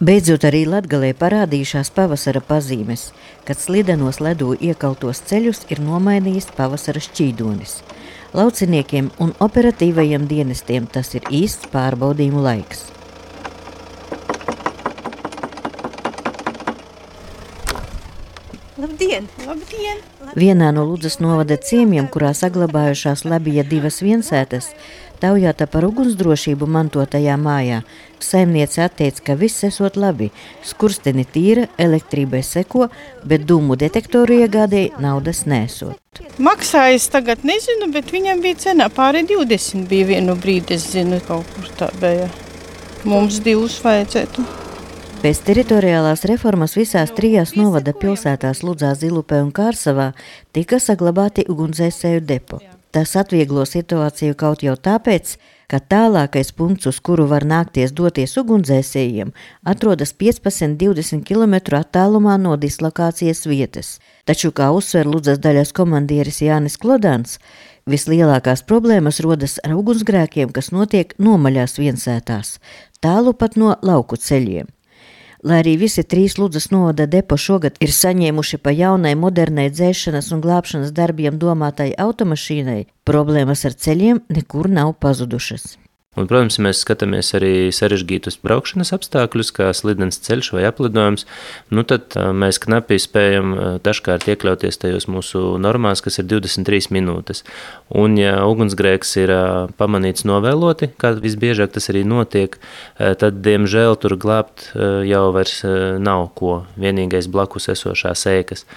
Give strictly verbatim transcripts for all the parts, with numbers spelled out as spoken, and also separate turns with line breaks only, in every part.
Beidzot arī Latgalē parādījušās pavasara pazīmes, kad slidenos ledu iekaltos ceļus ir nomainījis pavasara šķīdonis. Lauciniekiem un operatīvajiem dienestiem tas ir īsts pārbaudījumu laiks.
Labdien! Labdien!
Vienā no Ludzas novada ciemiem, kurā saglabājušās Labija divas viensētas, taujāta par ugunsdrošību mantotajā mājā, saimniece atteica, ka viss esot labi, skursteni tīra, elektrībai seko, bet dūmu detektoru iegādēji naudas nesot.
Maksājas tagad nezinu, bet viņam bija cenā pāri divdesmit bija vienu brīdi, es zinu, kaut kur tā bija. Mums divus vajadzētu.
Pēc teritoriālās reformas visās trijās novada pilsētās Ludzā, Zilupē un Kārsavā tika saglabāti ugunsdzēsēju depo. Tas atvieglo situāciju kaut jau tāpēc, ka tālākais punkts, uz kuru var nākties doties ugunsdzēsējiem, atrodas piecpadsmit līdz divdesmit kilometru attālumā no dislokācijas vietas. Taču, kā uzsver Ludzas daļas komandieris Jānis Klodāns, vislielākās problēmas rodas ar ugunsgrēkiem, kas notiek nomaļās viensētās, tālu pat no lauku ceļiem. Lai arī visi trīs Ludzas novada depo šogad ir saņēmuši pa jaunai modernai dzēšanas un glābšanas darbiem domātai automašīnai, problēmas ar ceļiem nekur nav pazudušas.
Un, protams, mēs skatāmies arī sarežģītus braukšanas apstākļus, kā slidens ceļš vai aplidojums, nu tad mēs knapi spējam dažkārt iekļauties tajos mūsu normās, kas ir divdesmit trīs minūtes. Un, ja ugunsgrēks ir pamanīts novēloti, kā visbiežāk tas arī notiek, tad, diemžēl, tur glābt jau vairs nav ko, vienīgais blakus esošās ēkas.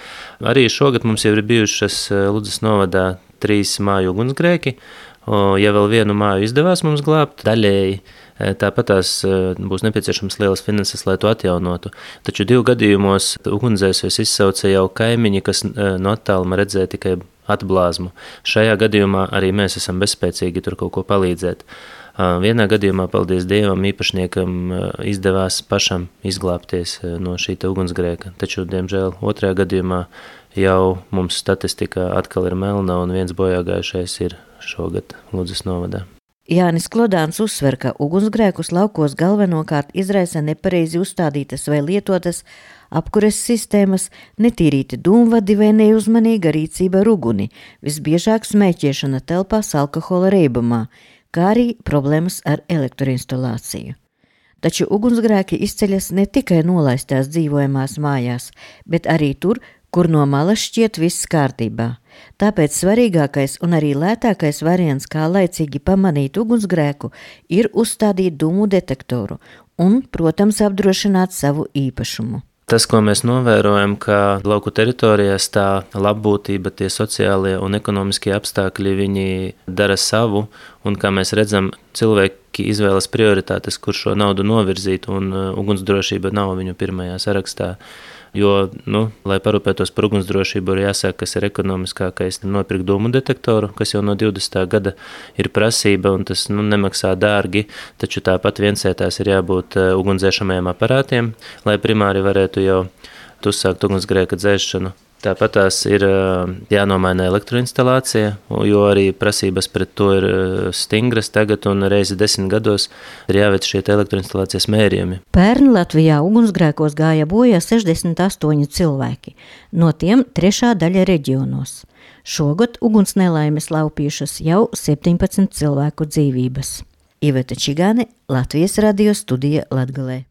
Arī šogad mums jau ir bijušas Ludzas novadā trīs māju ugunsgrēki. Ja vēl vienu māju izdevās mums glābt, daļēji tāpat tās būs nepieciešams lielas finanses, lai to atjaunotu. Taču divu gadījumos ugunsdzēsējus izsauca jau kaimiņi, kas no attāluma redzēja tikai atblāzmu. Šajā gadījumā arī mēs esam bezspēcīgi tur kaut ko palīdzēt. Vienā gadījumā, paldies Dievam, īpašniekam izdevās pašam izglābties no šī ugunsgrēka, taču, diemžēl, otrajā gadījumā jau mums statistika atkal ir melna un viens bojāgājušais ir šogad Ludzas novadā.
Jānis Klodāns uzsver, ka ugunsgrēkus laukos galvenokārt izraisa nepareizi uzstādītas vai lietotas apkures sistēmas, netīrīti dūmvadi vai neuzmanīga rīcība ar uguni, visbiežāk smēķēšana telpās alkohola reibumā, kā arī problēmas ar elektroinstalāciju. Taču ugunsgrēki izceļas ne tikai nolaistās dzīvojamās mājās, bet arī tur, kur no malas šķiet viss kārtībā. Tāpēc svarīgākais un arī lētākais variants, kā laicīgi pamanīt ugunsgrēku, ir uzstādīt dūmu detektoru un, protams, apdrošināt savu īpašumu.
Tas, ko mēs novērojam, ka lauku teritorijās tā labbūtība, tie sociālie un ekonomiskie apstākļi, viņi dara savu, un kā mēs redzam, cilvēki izvēlas prioritātes, kur šo naudu novirzīt, un ugunsdrošība nav viņu pirmajā sarakstā. Jo, nu, lai parūpētos par ugunsdrošību, ir jāsāk, kas ir ekonomiskākais, nopirkt dūmu detektoru, kas jau no divdesmitā gada ir prasība, un tas nu, nemaksā dārgi, taču tāpat viensētās ir jābūt ugunsdzēšamajiem aparātiem, lai primāri varētu jau uzsākt ugunsgrēka dzēšanu. Tāpat tās ir jānomaina elektroinstalācija, jo arī prasības pret to ir stingras tagad un reizi desmit gados ir jāveic šie elektroinstalācijas mērījumi.
Pērn Latvijā ugunsgrēkos gāja bojā sešdesmit astoņi cilvēki, no tiem trešā daļa reģionos. Šogad uguns nelaimes laupījušas jau septiņpadsmit cilvēku dzīvības. Iveta Čigāne, Latvijas radio studija Latgalē.